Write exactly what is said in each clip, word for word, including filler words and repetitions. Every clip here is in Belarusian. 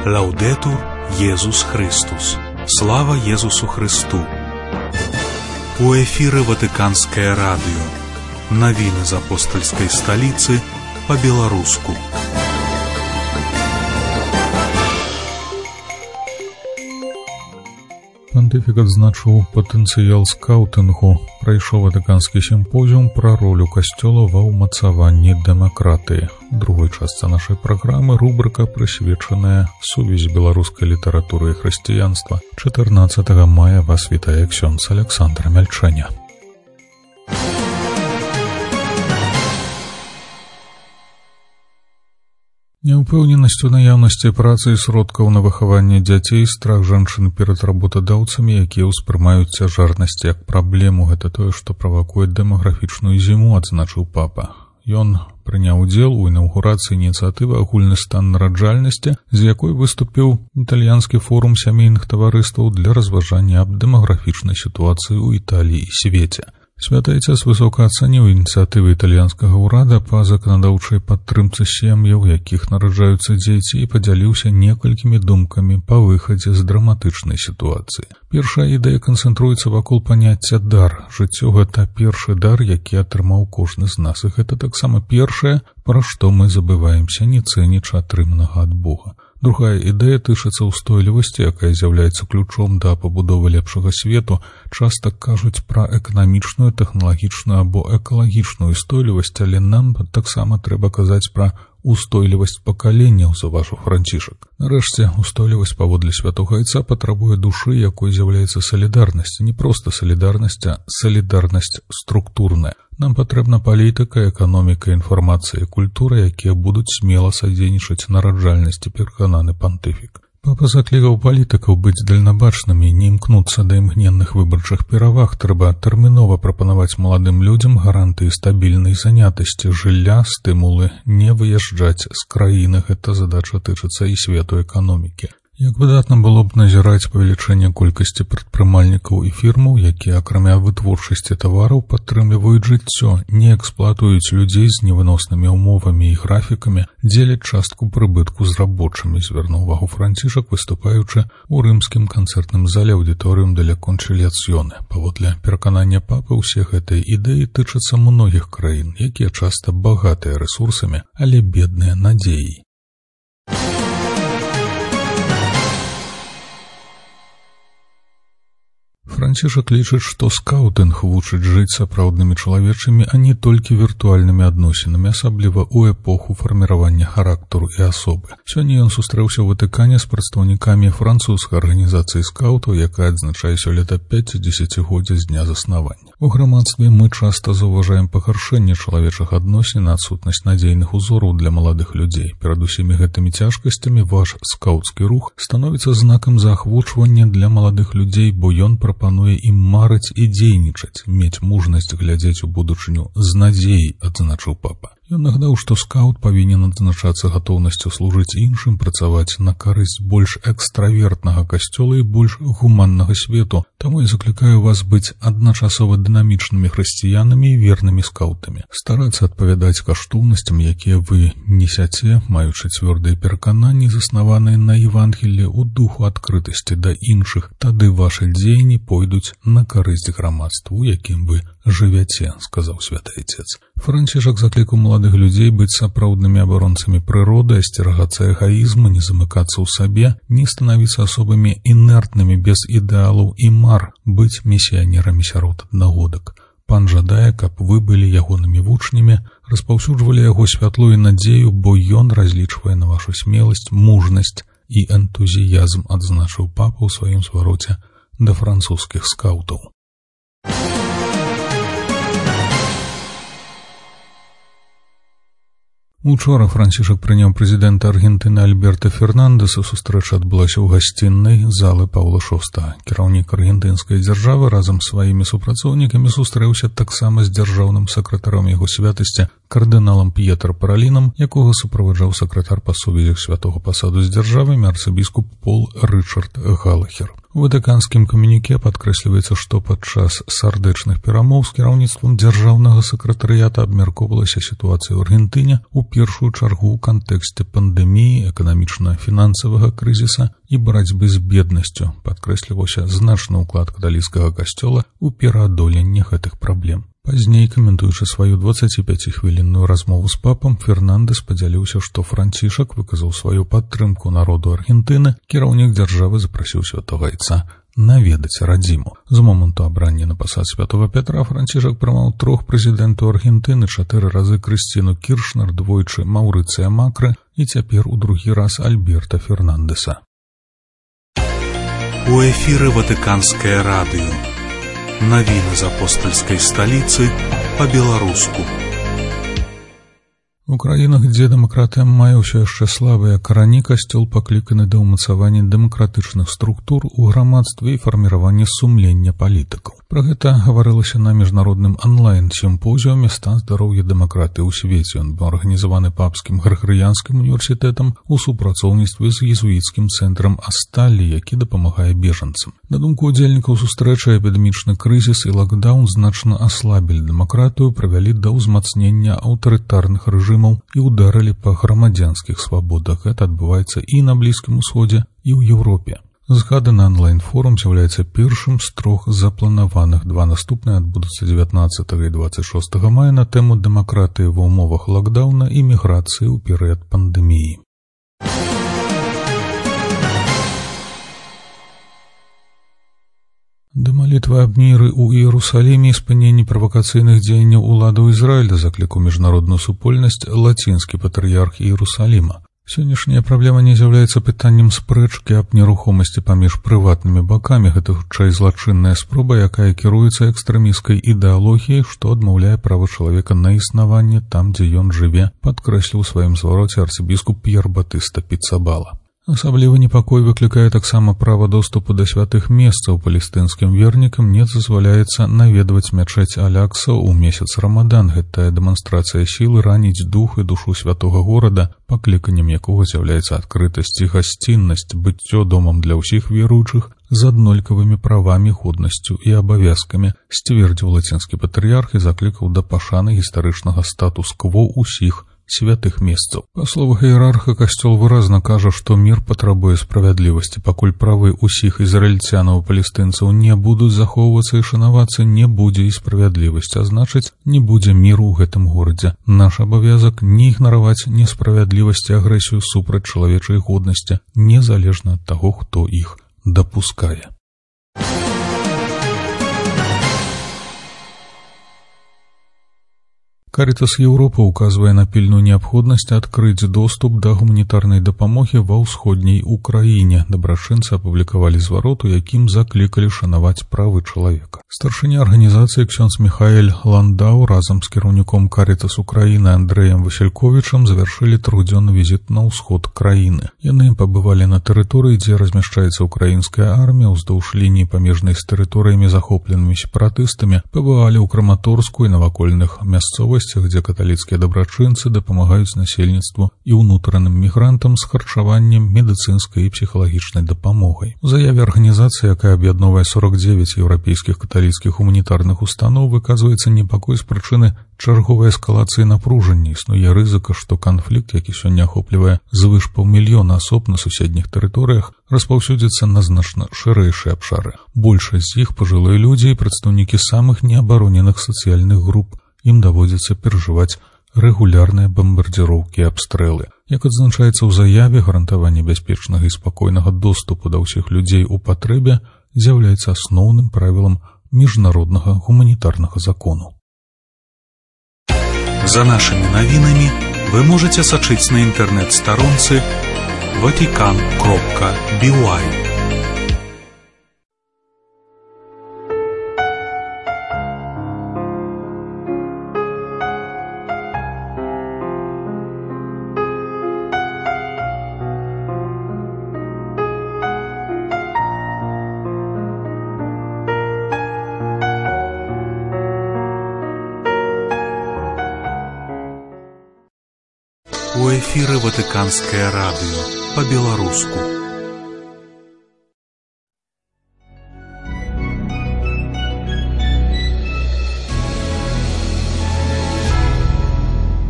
Лаудетур Єсус Христос. Слава Єсусу Христу. У эфире Ватиканское радио. Новины из апостольской столицы по-белорусски. Пантыфік адзначыў патэнцыял скаўтынгу, прайшоў ватыканскі сімпозіум пра ролю касцёла ва ўмацаванні дэмакратыі. У другой частцы нашай праграмы рубрыка, прысвечаная сувязі беларускай літаратуры і хрысціянства. чатырнаццатага мая вас вітае ксёндз Александр Мяльчэня. Няўпэўненасць у наяўнасці працы і сродкаў на выхаванне дзяцей, страх жанчын перад работадаўцамі, якія ўспрымаюць цяжарнасць як праблему, гэта тое, што правакуе дэмаграфічную зіму, адзначыў папа. Ён прыняў удзел у інаўгурацыі ініцыятывы «Агульны стан нараджальнасці», з якой выступіў італьянскі форум сямейных таварыстваў для разважання аб дэмаграфічнай сітуацыі ў Італіі і свеце. Святы Отец высока ацаніў ініцыятывы італьянскага ўрада па заканадаўчай падтрымцы сем'яў, якіх нараджаюцца дзеці, і падзяліўся некалькімі думкамі па выхадзе з драматычнай сітуацыі. Першая ідэя канцэнтруецца вакол паняцця дар. Жыццё — гэта першы дар, які атрымаў кожны з нас, і гэта таксама першае, пра што мы забываемся, не цэнячы атрыманага ад Бога. Другая ідэя тычыцца ўстойлівасці, якая з'яўляецца ключом да пабудовы лепшага свету. Часта кажуць пра эканамічную, тэхналагічную або экалагічную устойлівасць, але нам таксама трэба казаць пра устойлівасць пакаленняў, заўважыў Францішак. Нарэшце, устойлівасць паводле святога Айца патрабуе душы, якой з'яўляецца салідарнасць. Не проста салідарнасць, а салідарнасць структурная. Нам патрэбна палітыка, эканоміка, інфармацыя і культура, якія будуць смела садзейнічаць нараджальнасці, перакананы пантыфік. Папа заклікаў палітыкаў быць дальнабачнымі, не імкнуцца да імгненных выбарчых пераваг. Трэба тэрмінова прапанаваць маладым людзям гарантыі стабільнай занятасці, жылля, стымулы, не выязджаць з краіны. Гэта задача тычыцца і свету эканомікі. Як выдатна было б назіраць павелічэнне колькасці прадпрымальнікаў і фірмаў, якія, акрамя вытворчасці тавараў, падтрымліваюць жыццё, не эксплуатуюць людзей з невыноснымі ўмовамі і графікамі, дзеляць частку прыбытку з рабочымі, звярнуў увагу Францішак, выступаючы ў рымскім канцэртным зале аўдыторыум деля кончыліяцыёне. Паводле пераканання папы, усе гэтыя ідэі тычацца многіх краін, якія часта багатыя рэсурсамі, але бедныя надзеяй. Францішак лічыць, што скаўтынг вучыць жыць сапраўднымі чалавечымі, а не толькі віртуальнымі адносінамі, асабліва ў эпоху фарміравання характару і асобы. Сёння ён сустрэўся ў Ватыкане з прадстаўнікамі французскай арганізацыі скаўтаў, якая адзначае сёлета пяцідзесяцігоддзе з дня заснавання. У грамадстве мы часта заўважаем пагаршэнне чалавечых адносін, адсутнасць надзейных узораў для маладых людзей. Перад усімі гэтымі цяжкасцямі ваш скаўцкі рух становіцца знакам заахвочвання для маладых людзей, бо ён прапануе Плануе ім марыць і дзейнічаць, мець мужнасць глядзець у будучыню з надзеяй, адзначыў папа. Ён нагадаў, што скаут павінен адзначацца гатоўнасцю служыць іншым, працаваць на карысць больш экстравертнага касцёла і больш гуманнага свету. Таму я заклікаю вас быць адначасова дынамічнымі хрысціянамі і вернымі скаутамі. Старацца адпавядаць каштоўнасцям, якія вы несяце, маючы цвёрдыя перакананні, заснаваныя на Евангеллі, у духу адкрытасці да іншых. Тады вашы дзеянні пойдуць на карысць грамадству, у якім вы жывяце, сказаў святы Отец. Францішак заклікаў маладых людзей быць сапраўднымі абаронцамі прыроды, асцерагацца эгаізму, не замыкацца ў сабе, не станавіцца асобамі інертнымі без ідэалаў і мар, быць місіянерамі сярод аднагодак. Пан жадае, каб вы былі ягонымі вучнямі, распаўсюджвалі яго святло і надзею, бо ён разлічвае на вашу смеласць, мужнасць і энтузіязм, адзначыў папа ў сваім звароце да французскіх скаўтаў. Учора Францішак прыняў прэзідэнта Аргентыны Альберта Фернандэса. Сустрэча адбылася ў гасціннай залы Паўла шостага. Кіраўнік аргентынскай дзяржавы разам з сваімі супрацоўнікамі сустрэўся таксама з дзяржаўным сакратаром яго святасці, кардыналам П'етра Паралінам, якога суправаджаў сакратар па сувязях святога пасаду з дзяржавамі арцыбіскуп Пол Рычард Галахер. У ватыканскім камюніке падкрэсліваецца, што падчас сардэчных перамоў з кіраўніцтвам дзяржаўнага сакратарыята абмяркоўвалася сітуацыя ў Аргентыне у першую чаргу ў кантэксце пандэміі, эканамічна-фінансавага крызіса і барацьбы з беднасцю. Падкрэсліваўся значны ўклад каталіцкага касцёла ў пераадоленні гэтых праблем. Пазней, каментуючы сваю дваццаціпяцігвілінную размову з папам, Фернандэс падзяліўся, што Францішак выказаў сваю падтрымку народу Аргентыны, кіраўнік дзяржавы запрасіў святога айца наведаць радзіму. З моманту абрання на пасад святога Пятра Францішак прымаў трох прэзідэнтаў Аргентыны, чатыры разы Крысціну Кіршнер, двойчы Маўрыцыя Макры і цяпер у другі раз Альберта Фернандэса. У эфіры Ватыканскае радыё. Навіны з апостальскай сталіцы па-беларуску. У краінах, дзе дэмакратыя мае ўсё яшчэ слабыя карані, касцёл пакліканы да ўмацавання дэмакратычных структур у грамадстве і фарміравання сумлення палітыкаў. Пра гэта гаварылася на міжнародным онлайн-сімпозіуме «Стан здароўя дэмакратыі ў свеце». Ён быў арганізаваны папскім Грыгорыянскім універсітэтам у супрацоўніцтве з езуіцкім цэнтрам Асталлі, які дапамагае бежанцам. На думку удзельнікаў сустрэчы, эпідэмічны крызіс і лакдаун значна аслабілі дэмакратыю, прывялі да ўзмацнення аўтарытарных рэжымаў і ударылі па грамадзянскіх свабодах. Гэта адбываецца і на Блізкім Усходзе, і ў Еўропе. Згаданы онлайн-форум з'яўляецца першым з трох запланаваных. Два наступныя адбудуцца дзевятнаццатага і дваццаць шостага мая на тэму дэмакратыі ва ўмовах лакдауна і міграцыі ў перыяд пандэміі. Да малітвы аб міры ў Іерусаліме і спыненні правакацыйных дзеянняў уладаў Ізраіля заклікаў міжнародную супольнасць лацінскі патрыярх Іерусаліма. Сённяшняя праблема не з'яўляецца пытаннем спрэчкі аб нерухомасці паміж прыватнымі бакамі. Гэта хутчэй злачынная спроба, якая кіруецца экстрэмісцкай ідэалогіяй, што адмаўляе права чалавека на існаванне там, дзе ён жыве, падкрэсліў у сваім звароце арцыбіскуп П'ер Батыста Піцабала. Асаблівы непакой выклікае таксама права доступу да святых месцаў. Палестынскім вернікам не дазваляецца наведваць мячэць Алякса ў месяц Рамадан. Гэтая дэманстрацыя сілы раніць дух і душу святога горада, пакліканнем якога з'яўляецца адкрытасць і гасціннасць, быццё домам для ўсіх веруючых з аднолькавымі правамі, годнасцю і абавязкамі, сцвердзіў лацінскі патрыярх і заклікаў да пашаны гістарычнага статус-кво ўсіх святых месцаў. Па словах іерарха, касцёл выразна кажа, што мір патрабуе справядлівасці. Пакуль правы ўсіх ізраільцянаў і палестынцаў не будуць захоўвацца і шанавацца, не будзе і справядлівасці, а значыць, не будзе міру ў гэтым горадзе. Наш абавязак не ігнараваць несправядлівасць і агрэсію супраць чалавечай годнасці, незалежна ад таго, хто іх дапускае. Каритас Еўропы указвае на пільную неабходнасць адкрыць доступ да гуманітарнай дапамогі ва ўсходняй Украіне. Дабрачынцы апублікавалі зварот, у якім заклікалі шанаваць правы чалавека. Старшыня арганізацыі ксёндз Міхаэль Ландау разам з кіраўніком Каритас Украіны Андрэем Васільковічам завяршылі трохдзённы візіт на ўсход краіны. Яны пабывалі на тэрыторыі, дзе размяшчаецца украінская армія, уздоўж лініі памежнай з тэрыторыямі, захопленымі сепаратыстамі, пабывалі ў Краматорску і навакольных мясцовасцях, дзе каталіцкія дабрачынцы дапамагаюць насельніцтву і ўнутраным мігрантам з харчаваннем, медыцынскай і псіхалагічнай дапамогай. У заяве арганізацыі, якая аб'ядноўвае сорок дзевяць еўрапейскіх каталіцкіх гуманітарных устаноў, выказваецца непакой з прычыны чарговай эскалацыі напружання. Існуе рызыка, што канфлікт, які сёння ахоплівае звыш паўмільёна асоб на суседніх тэрыторыях, распаўсюдзіцца на значна шырэйшыя абшары. Большасць з іх пажылыя людзі і прадстаўнікі самых неабароненых сацыяльных груп. Ім даводзіцца перажываць рэгулярныя бамбардзіроўкі і абстрэлы. Як адзначаецца ў заяве, гарантаванне бяспечнага і спакойнага доступу да ўсіх людзей у патрэбе з'яўляецца асноўным правілам міжнароднага гуманітарнага закону. За нашымі навінамі вы можаце сачыць на інтэрнэт-старонцы ватикан кропка би уай. У эфіры Ватыканскае радыё па-беларуску.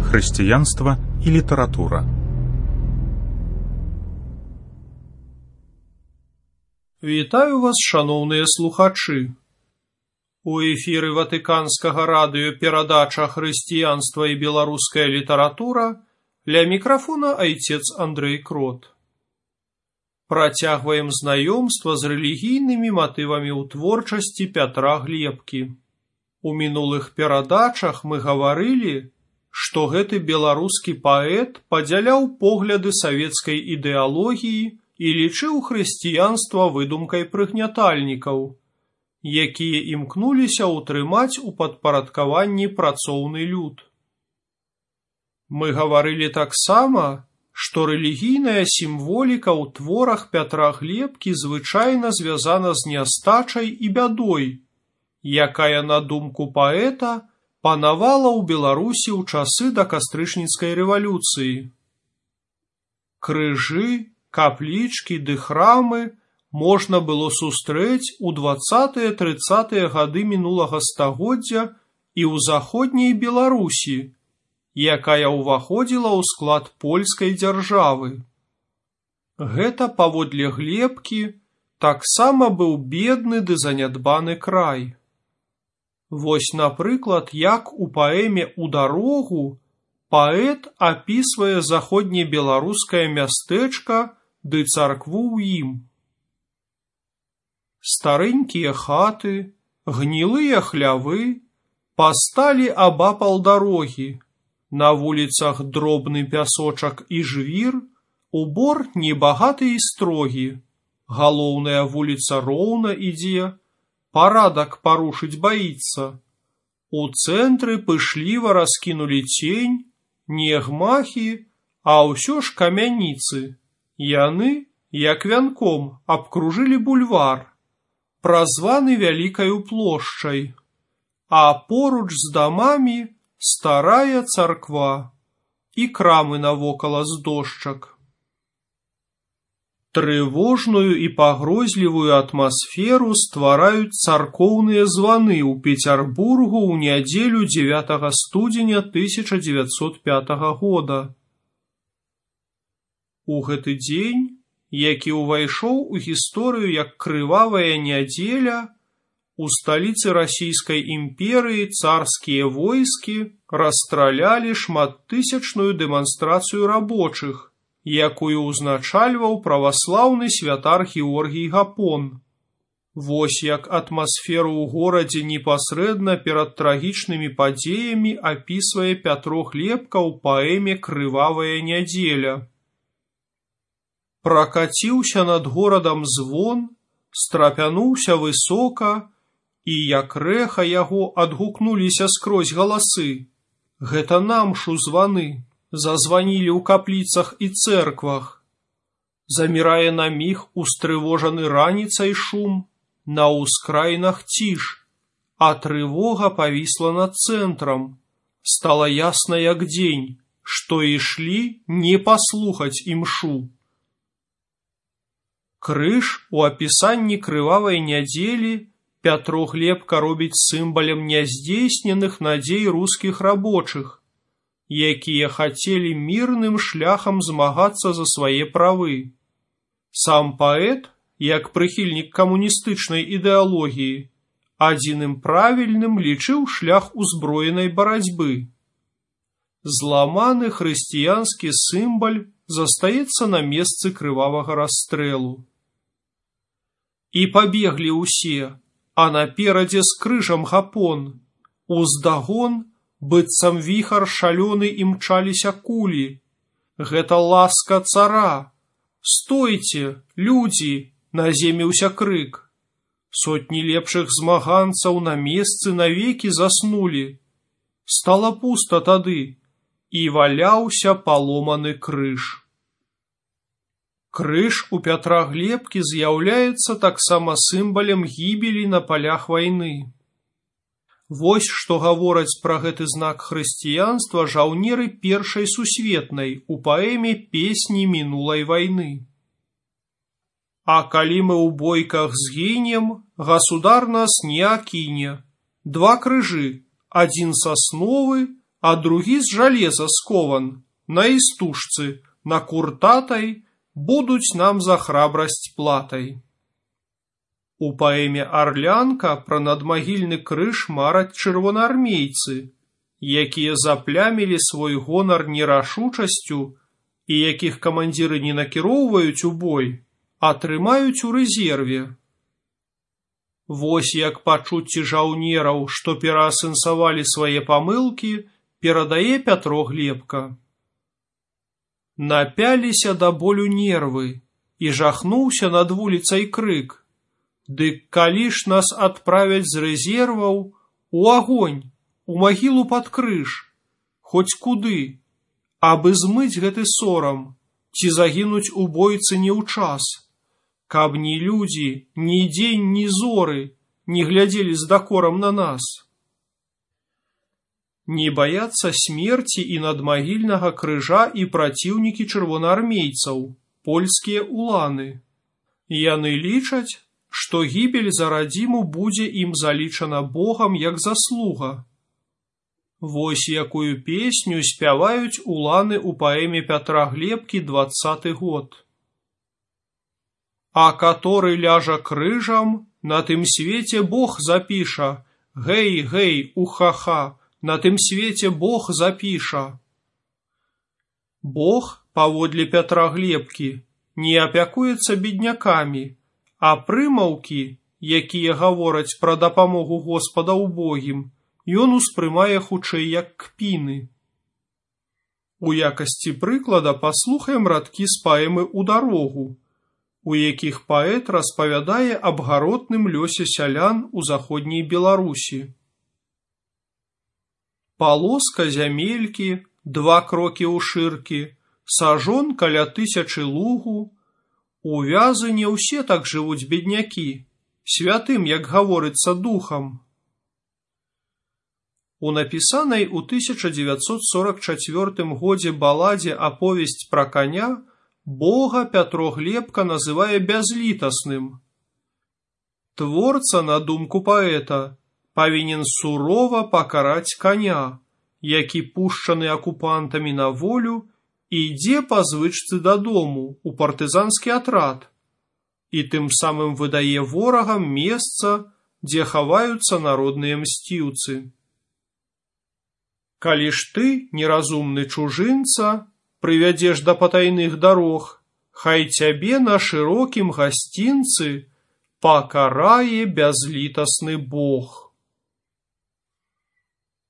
Хрысціянства і літаратура. Вітаю вас, шаноўныя слухачы. У эфіры Ватыканскага радыё перадача «Хрысціянства і беларуская літаратура», ля мікрафона айцец Андрэй Крот. Працягваем знаёмства з рэлігійнымі матывамі ў творчасці Пятра Глебкі. У мінулых перадачах мы гаварылі, што гэты беларускі паэт падзяляў погляды савецкай ідэалогіі і лічыў хрысціянства выдумкай прыгнятальнікаў, якія імкнуліся ўтрымаць у падпарадкаванні працоўны люд. Мы гаварылі таксама, што рэлігійная сімволіка ў творах Пятра Глебкі звычайна звязана з нястачай і бядой, якая, на думку паэта, панавала ў Беларусі ў часы да кастрычніцкай рэвалюцыі. Крыжы, каплічкі ды храмы можна было сустрэць у дваццатыя-трыццатыя гады мінулага стагоддзя і ў заходняй Беларусі, якая ўваходзіла ў склад польскай дзяржавы. Гэта, паводле Глебкі, таксама быў бедны ды занядбаны край. Вось, напрыклад, як у паэме «У дарогу» паэт апісвае заходнебеларускае мястэчка ды царкву ў ім. Старэнькія хаты, гнілыя хлявы пасталі абапал дарогі, на вуліцах дробны пясочак і жвір, убор небагаты і строгі, галоўная вуліца роўна ідзе, парадак парушыць баіцца. У цэнтры пышліва раскінулі цень, не гмахі, а ўсё ж камяніцы. Яны, як вянком, абкружылі бульвар, празваны вялікаю плошчай, а поруч з дамамі старая царква і крамы навокала з дошчак. Трывожную і пагрозлівую атмасферу ствараюць царкоўныя званы ў Пецярбургу ў нядзелю дзевятага студзеня тысяча дзевяцьсот пятага года. У гэты дзень, які ўвайшоў у гісторыю як крывавая нядзеля, у сталіцы расійскай імперыі царскія войскі расстралялі шматтысячную дэманстрацыю рабочых, якую ўзначальваў праваслаўны святар Георгій Гапон. Вось як атмасферу ў горадзе непасрэдна перад трагічнымі падзеямі апісвае Пятро Глебка ў паэме «Крывавая нядзеля». Пракаціўся над горадам звон, страпянуўся высока, і як рэха яго адгукнуліся скрозь галасы. Гэта намшу званы. Зазванілі ў капліцах і цэрквах. Замірае на міг устрывожаны раніцай шум, на ўскраінах ціш, а трывога павісла над цэнтрам. Стала ясна як дзень, што ішлі не паслухаць імшу. Крыж у апісанні крывавай нядзелі Пятро Глебка робіць сімвалам няздзейсненых надзей рускіх рабочых, якія хацелі мірным шляхам змагацца за свае правы. Сам паэт, як прыхільнік камуністычнай ідэалогіі, адзіным правільным лічыў шлях узброенай барацьбы. Зламаны хрысціянскі сімвал застаецца на месцы крывавага расстрэлу. І пабеглі ўсе, а наперадзе з крыжам Гапон. Уздагон, быццам віхар шалёны імчаліся кулі. Гэта ласка цара. Стойце, людзі, наземіўся крык. Сотні лепшых змаганцаў на месцы навекі заснулі. Стала пуста тады, і валяўся паломаны крыж. Крыж у Пятра Глебкі з'яўляецца таксама сімвалам гібелі на палях вайны. Вось што гавораць пра гэты знак хрысціянства жаўнеры Першай сусветнай у паэме «Песні мінулай вайны». А калі мы ў бойках згінем, гасудар нас не акіне. Два крыжы, адзін сасновы, а другі з жалеза скован, на істужцы, на куртатай, будуць нам за храбрасць платай. У паэме «Арлянка» пра надмагільны крыж мараць чырвонаармейцы, якія заплямілі свой гонар нерашучасцю і якіх камандзіры не накіроўваюць у бой, а трымаюць у рэзерве. Вось як пачуцці жаўнераў, што пераасэнсавалі свае памылкі, перадае Пятро Глебка. Напяліся да болю нервы, і жахнуўся над вуліцай крык. Дык калі ж нас адправяць з рэзерваў, у агонь, у магілу пад крыж, хоць куды, абы змыць гэты сорам, ці загінуць у бойцы не ў час, каб ні людзі, ні дзень, ні зоры не глядзелі з дакорам на нас. Не баяцца смерці і надмагільнага крыжа і праціўнікі чырвонаармейцаў, польскія уланы. Яны лічаць, што гібель за радзіму будзе ім залічана Богам як заслуга. Вось якую песню спяваюць уланы ў паэме Пятра Глебкі дваццаты год. А каторы ляжа крыжам, на тым свеце Бог запіша, гэй, гэй, уха-ха, на тым свеце Бог запіша. Бог, паводле Пятра Глебкі, не апякуецца беднякамі, а прымаўкі, якія гавораць пра дапамогу Господа ўбогім, ён успрымае хутчэй як кпіны. У якасці прыклада паслухаем радкі з паэмы «У дарогу», у якіх паэт распавядае аб гаротным лёсе сялян у заходняй Беларусі. Палоска зямелькі, два крокі ў шыркі, сажон каля тысячы лугу. У вязы не ўсе так жывуць беднякі, святым, як гаворыцца, духам. У напісанай у тысяча дзевяцьсот сорак чацвёртым годзе баладзе «Аповесць пра каня» Бога Пятро Глебка называе бязлітасным. Творца, на думку паэта, павінен сурова пакараць каня, які пушчаны акупантамі на волю, ідзе па звычцы дадому у партызанскі атрад і тым самым выдае ворагам месца, дзе хаваюцца народныя мсціўцы. Калі ж ты, неразумны чужынца, прывядзеш да патайных дарог, хай цябе на шырокім гасцінцы пакарае бязлітасны Бог.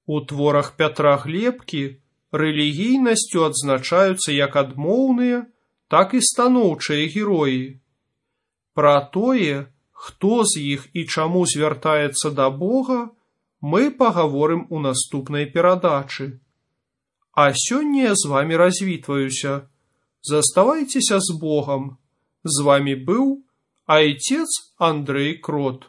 У творах Пятра Глебкі рэлігійнасцю адзначаюцца як адмоўныя, так і станоўчыя героі. Пра тое, хто з іх і чаму звяртаецца да Бога, мы пагаворым у наступнай перадачы. А сёння я з вамі развітваюся. Заставайцеся з Богам. З вамі быў айцец Андрэй Крот.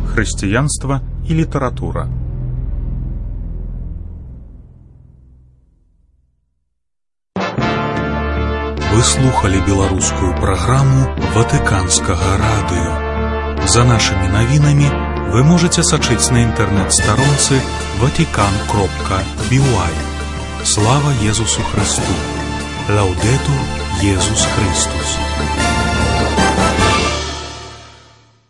Хрысціянства і літаратура. Вы слухали беларускую праграму Ватыканскага радыё. За нашымі навінамі вы можаце сачыць на інтэрнэт-старонцы ватикан кропка би уай. Слава Езусу Христу! Лаудетур Езус Христус!